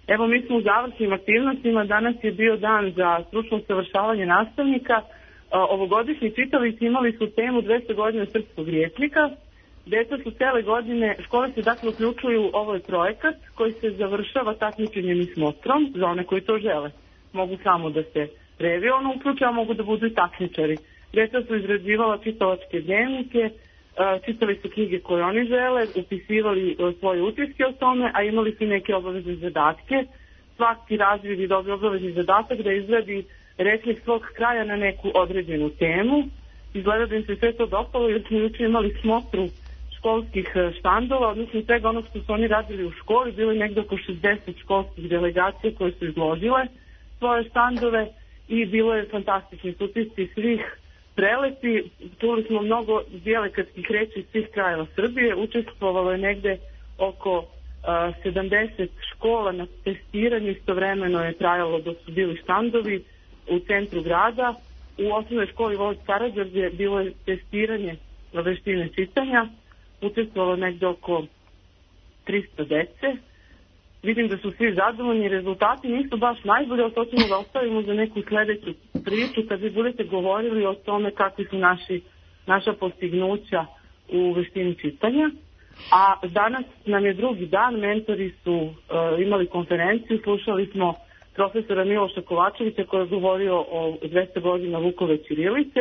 Speaker 19: Evo, mi smo u završnim aktivnostima, danas je bio dan za stručno usavršavanje nastavnika. Ovogodišnji čitalici imali su temu dvesta godina srpskog rječnika. Deca su cele godine, škole se dakle uključuju, ovo je projekat koji se završava takmičenjem i smotrom za one koji to žele. Mogu samo da se revijalno uključe, a mogu da budu i takmičari. Deca su izrađivala čitalačke dnevnike, čitali su knjige koje oni žele, upisivali svoje utiske o tome, a imali su neke obavezne zadatke. Svaki razvid je dobio obavezni zadatak da izradi rečnik svog kraja na neku određenu temu. Izgleda da im se sve to dopalo jer smo juče imali smotru školskih štandova, odnosno svega onog što su oni radili u školi. Bilo je negdje oko šezdeset školskih delegacija koje su izložile svoje štandove i bilo je fantastični utisci svih prelepi. Čuli smo mnogo dijalekatskih reči iz svih krajeva Srbije. Učestvovalo je negde oko uh, sedamdeset škola na testiranju. Istovremeno je trajalo dok su bili štandovi u centru grada. U osnovnoj školi Voć Karađorđe bilo je testiranje veštine čitanja. Učestvovalo negde oko trista dece. Vidim da su svi zadovoljni, rezultati nisu baš najbolji, ali to ćemo da ostavimo za neku sledeću priču kad vi budete govorili o tome kakvi su naši, naša postignuća u veštini čitanja. A danas nam je drugi dan, mentori su uh, imali konferenciju, slušali smo profesora Miloša Kovačevića koji je govorio o dvesta godina Vukove ćirilice,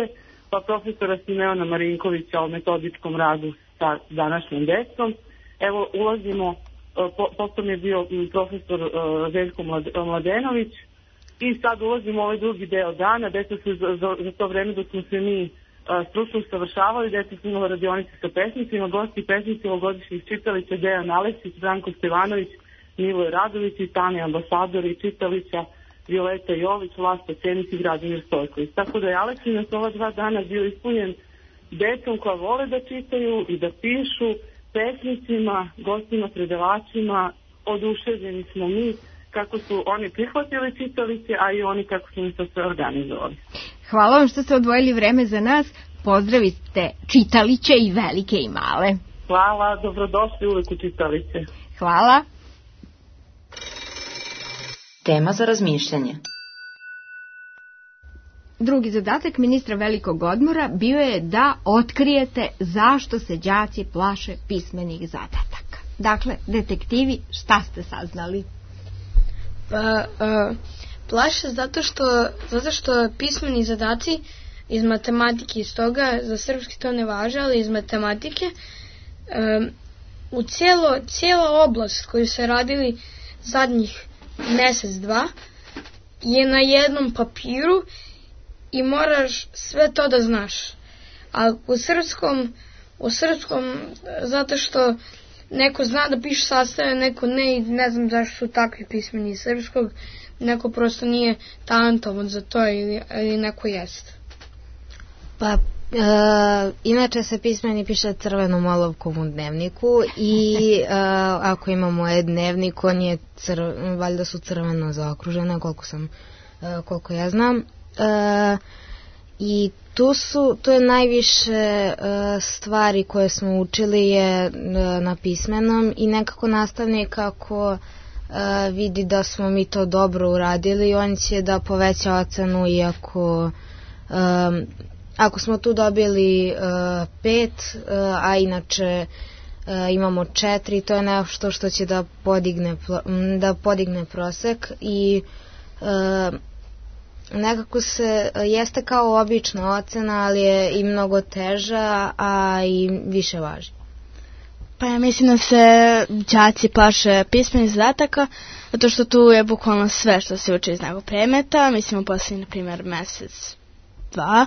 Speaker 19: pa profesora Simeona Marinkovića o metodičkom radu sa današnjom decom. Evo, ulazimo, po, potom je bio profesor uh, Željko Mladenović i sad ulazimo u ovaj drugi deo dana. Deca su za, za, za to vreme dok smo se mi uh, stručno usavršavali, deca su imala radionice sa pesnicima, gosti pesnici ovogodišnjih čitalića Dejan Aleksić, Branko Stevanović, Miloje Radović, Tani Ambasador i čitalića Violeta Jović, Vlasta Cenić i Gradimir Stojković. Tako da je Aleksinac ova dva dana bio ispunjen decom koja vole da čitaju i da pišu, pesnicima, gostima, predavačima. Oduševljeni smo mi kako su oni prihvatili čitalice, a i oni kako su mi to sve organizovali.
Speaker 6: Hvala vam što ste odvojili vreme za nas. Pozdravite čitaliće i velike i male.
Speaker 19: Hvala, dobrodošli uvek u čitalice.
Speaker 6: Hvala.
Speaker 15: Tema za razmišljanje.
Speaker 6: Drugi zadatak ministra velikog odmora bio je da otkrijete zašto se đaci plaše pismenih zadataka. Dakle, detektivi, šta ste saznali?
Speaker 8: Pa, uh, plaše zato što, zato što pismeni zadaci iz matematike, iz toga, za srpski to ne važe, ali iz matematike, um, u cijelo, cijela oblast koju se radili zadnjih mesec, dva, je na jednom papiru i moraš sve to da znaš. A u srpskom, u srpskom, zato što neko zna da piše sastave, neko ne, i ne znam zašto su takvi pismeni iz srpskog, neko prosto nije talentovan za to ili, ili neko jest.
Speaker 10: Pa, e, inače se pismeni piše crvenom olovkom u dnevniku i e, ako imamo e-dnevnik, on je crv, valjda su crveno zaokružene, koliko sam, e, koliko ja znam. E, I tu su, tu je najviše uh, stvari koje smo učili je uh, na pismenom i nekako nastavnik ako uh, vidi da smo mi to dobro uradili, on će da poveća ocenu i ako, um, ako smo tu dobili uh, pet, uh, a inače uh, imamo četiri, to je nešto što će da podigne, da podigne prosek i uh, nekako se, jeste kao obična ocena, ali je i mnogo teža, a i više važi.
Speaker 9: Pa ja mislim da se đaci plaše pismenih zadataka, zato što tu je bukvalno sve što se uči iz nekog predmeta. Mislim u posljednji, na primjer, mesec dva.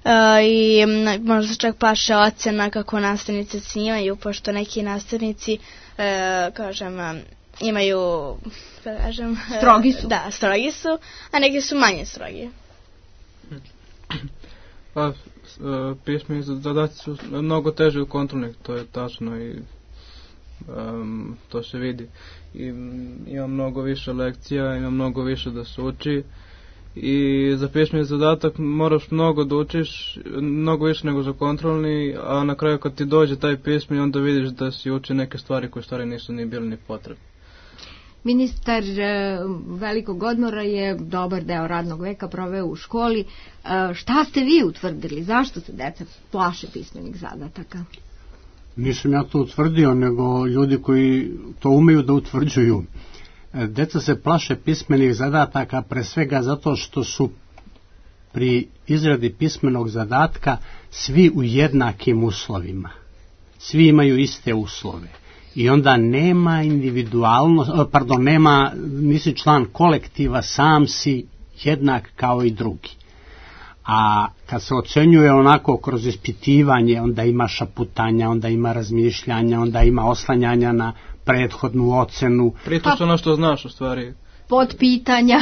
Speaker 9: Uh, i m, možda se čak plaše ocena kako nastavnici ocenjivaju, pošto neki nastavnici uh, kažem, um, imaju kažem, uh,
Speaker 6: strogi su.
Speaker 9: Da, strogi su, a neki su manje strogi.
Speaker 7: Pa, pismeni zadaci su mnogo teže od kontrolnih, to je tačno i um, to se vidi. I, ima mnogo više lekcija, ima mnogo više da se uči i za pismeni zadatak moraš mnogo da učiš, mnogo više nego za kontrolni, a na kraju kad ti dođe taj pismeni onda vidiš da si uči neke stvari koje stvari nisu ni bili ni potrebne.
Speaker 6: Ministar velikog odmora je dobar deo radnog veka proveo u školi. Šta ste vi utvrdili? Zašto se deca plaše pismenih zadataka?
Speaker 12: Nisam ja to utvrdio, nego ljudi koji to umeju da utvrđuju. Deca se plaše pismenih zadataka pre svega zato što su pri izradi pismenog zadatka svi u jednakim uslovima. Svi imaju iste uslove. I onda nema individualno, pardon, nema, nisi član kolektiva, sam si jednak kao i drugi. A kad se ocenjuje onako kroz ispitivanje, onda ima šaputanja, onda ima razmišljanja, onda ima oslanjanja na prethodnu ocenu.
Speaker 7: Prito su ono što znaš u stvari.
Speaker 6: Podpitanja.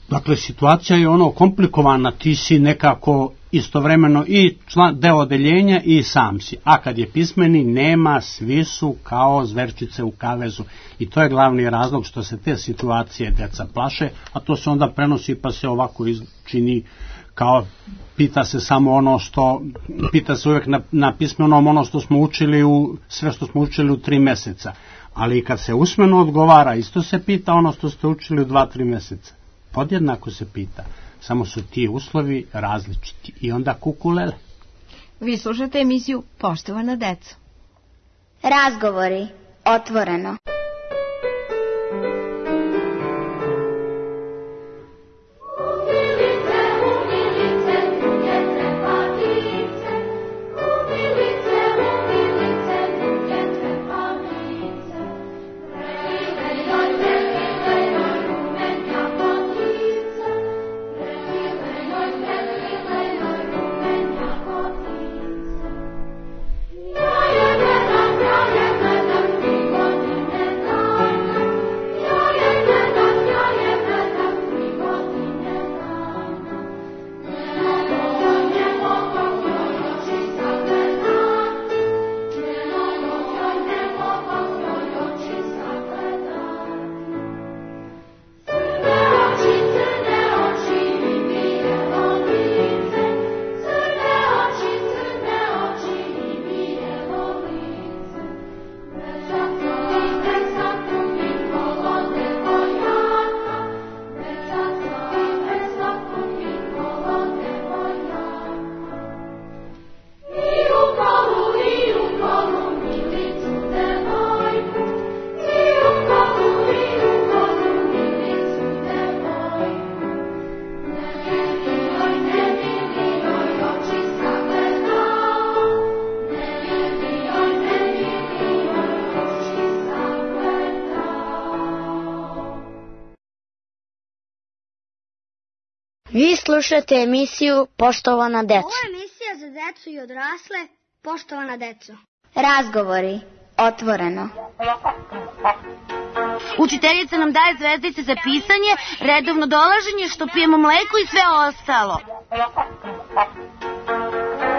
Speaker 12: Dakle, situacija je ono komplikovana, ti si nekako istovremeno i član, deo odeljenja i sam si. A kad je pismeni, nema, svi su kao zverčice u kavezu. I to je glavni razlog što se te situacije deca plaše, a to se onda prenosi pa se ovako čini kao pita se samo ono što, pita se uvijek na, na pismenom ono što smo učili u, sve što smo učili u tri meseca. Ali kad se usmeno odgovara, isto se pita ono što ste učili u dva, tri meseca. Podjednako se pita, samo su ti uslovi različiti i onda kukulele.
Speaker 6: Vi slušate emisiju Poštovana deco.
Speaker 1: Razgovori otvoreno.
Speaker 11: Vi slušate emisiju Poštovana deco.
Speaker 2: Ovo je emisija za decu i odrasle. Poštovana deco.
Speaker 1: Razgovori otvoreno.
Speaker 5: Učiteljica nam daje zvezdice za pisanje, redovno dolaženje, što pijemo mleko i sve ostalo.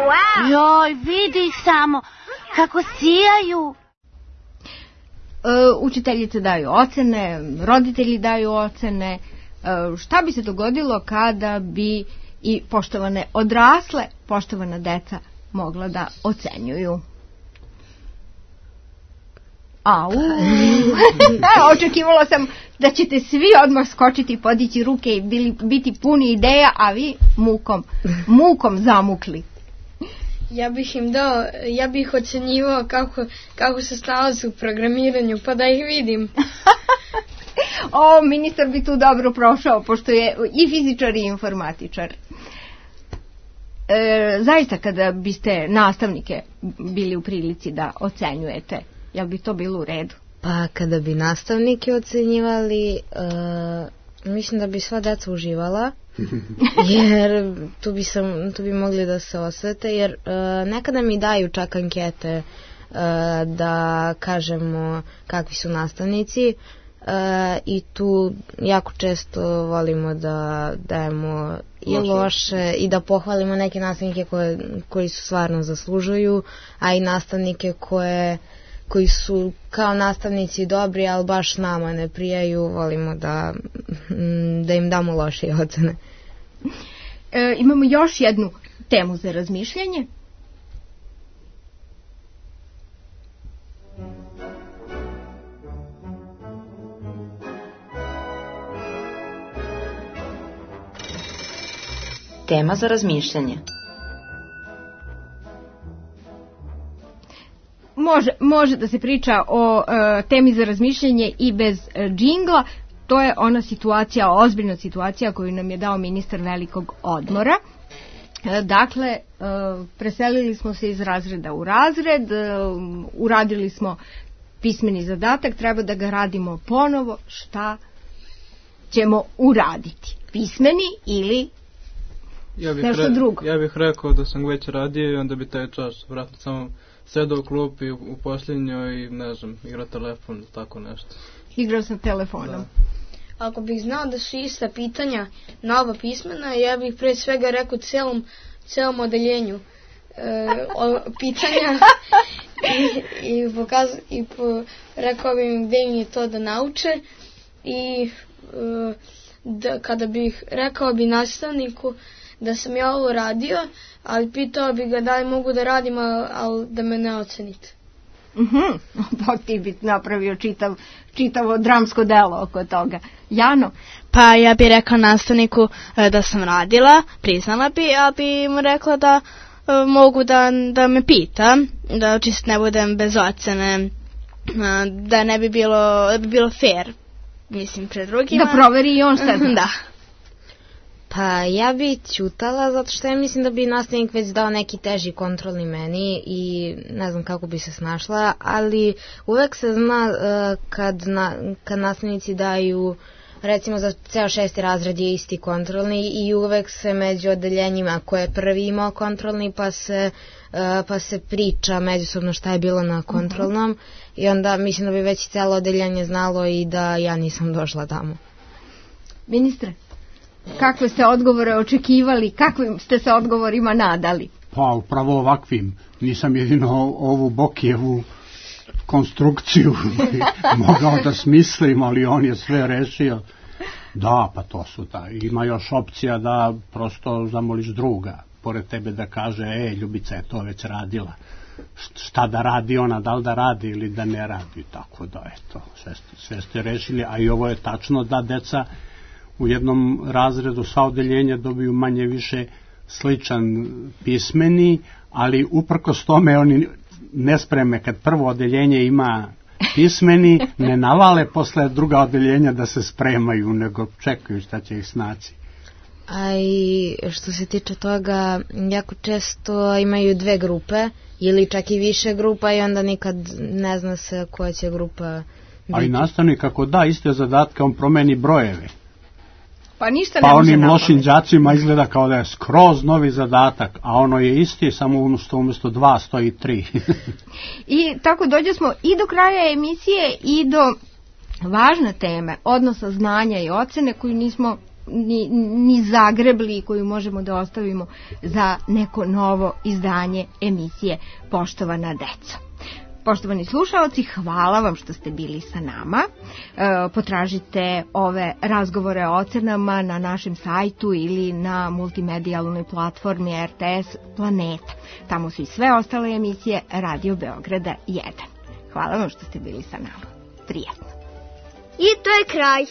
Speaker 5: Wow. Joj, vidi ih samo, kako sijaju.
Speaker 6: E, učiteljice daju ocene, roditelji daju ocene. E, šta bi se dogodilo kada bi i poštovane odrasle, poštovana deca mogla da ocenjuju? Au. Očekivala sam da ćete svi odmah skočiti, podići ruke i bili, biti puni ideja, a vi mukom, mukom zamukli.
Speaker 8: Ja bih im dao, ja bih ocenjivao kako, kako se snalaze u programiranju, pa da ih vidim.
Speaker 6: O, ministar bi tu dobro prošao, pošto je i fizičar i informatičar. E, zaista, kada biste nastavnike bili u prilici da ocenjujete, jel bi to bilo u redu?
Speaker 10: Pa kada bi nastavnike ocenjivali, uh, Mislim da bi sva deca uživala, jer tu bi, sam, tu bi mogli da se osvete, jer uh, nekada mi daju čak ankete uh, da kažemo kakvi su nastavnici uh, i tu jako često volimo da dajemo i loše i da pohvalimo neke nastavnike koje, koji su stvarno zaslužuju, a i nastavnike koje koji su kao nastavnici dobri, ali baš nama ne prijaju, volimo da, da im damo loše ocene.
Speaker 6: E, imamo još jednu temu za razmišljanje.
Speaker 15: Tema za razmišljanje.
Speaker 6: Može, može da se priča o e, temi za razmišljanje i bez e, džingla. To je ona situacija, ozbiljna situacija koju nam je dao ministar velikog odmora. E, dakle, e, preselili smo se iz razreda u razred, e, uradili smo pismeni zadatak, treba da ga radimo ponovo. Šta ćemo uraditi? Pismeni ili
Speaker 7: ja bih
Speaker 6: nešto
Speaker 7: re,
Speaker 6: drugo?
Speaker 7: Ja bih rekao da sam već radio i onda bi taj čas vratno samo sedao u klupi u, u posljednjoj i ne znam, igrao telefon, tako nešto.
Speaker 6: Igrao sam telefonom.
Speaker 7: Da.
Speaker 8: Ako bih znao da su ista pitanja na oba pismena, ja bih pre svega rekao celom, celom odeljenju e, o, pitanja i, i, pokaz, i po, rekao bih im gde im je to da nauče i e, da, kada bih rekao bi nastavniku da sam ja ovo radio, ali pitao bi ga da li mogu da radim, ali da me ne ocenite.
Speaker 6: Mhm, pa ti bi napravio čitav, čitavo dramsko delo oko toga. Jano?
Speaker 9: Pa ja bih rekao nastavniku da sam radila, priznala bi, a bi mu rekla da mogu da, da me pita, da čisto ne budem bez ocene, da ne bi bilo, da bi bilo fair, mislim, pred drugima.
Speaker 6: Da proveri i on šta zna.
Speaker 9: Da.
Speaker 10: Pa ja bi ćutala zato što ja mislim da bi nastavnik već dao neki teži kontrolni meni i ne znam kako bi se snašla, ali uvek se zna uh, kad, na, kad nastavnici daju, recimo za ceo šesti razred je isti kontrolni i uvek se među odeljenjima ko je prvi imao kontrolni pa se, uh, pa se priča međusobno šta je bilo na kontrolnom uh-huh. i onda mislim da bi već celo odeljenje znalo i da ja nisam došla tamo.
Speaker 6: Ministre? Kakve ste odgovore očekivali, kakvim ste se odgovorima nadali?
Speaker 12: Pa upravo ovakvim. Nisam jedino ovu Bokijevu konstrukciju mogao da smislim, ali on je sve rešio. Da, pa to su da. Ima još opcija da prosto zamoliš druga, pored tebe da kaže, e, Ljubica je to već radila. Šta da radi ona, da li da radi ili da ne radi. Tako da, eto, sve, sve ste rešili, a i ovo je tačno da deca u jednom razredu sva odeljenja dobiju manje više sličan pismeni, ali uprkos tome oni ne spreme kad prvo odeljenje ima pismeni, ne navale posle druga odeljenja da se spremaju, nego čekaju šta će ih snaći.
Speaker 10: A i što se tiče toga, jako često imaju dve grupe ili čak i više grupa i onda nikad ne zna se koja će grupa biti.
Speaker 12: A i nastavnik ako da iste zadatke, on promeni brojeve.
Speaker 6: Pa ništa
Speaker 12: pa
Speaker 6: ne može
Speaker 12: onim
Speaker 6: napamet.
Speaker 12: lošim đacima izgleda kao da je skroz novi zadatak, a ono je isti, samo umjesto, umjesto dva stoji tri.
Speaker 6: I tako dođe smo i do kraja emisije i do važne teme, odnosa znanja i ocene koju nismo ni, ni zagrebli i koju možemo da ostavimo za neko novo izdanje emisije Poštovana deco. Poštovani slušaoci, hvala vam što ste bili sa nama. E, potražite ove razgovore o ocenama na našem sajtu ili na multimedijalnoj platformi R T S Planeta. Tamo su i sve ostale emisije Radio Beograda jedan. Hvala vam što ste bili sa nama. Prijetno.
Speaker 2: I to je kraj.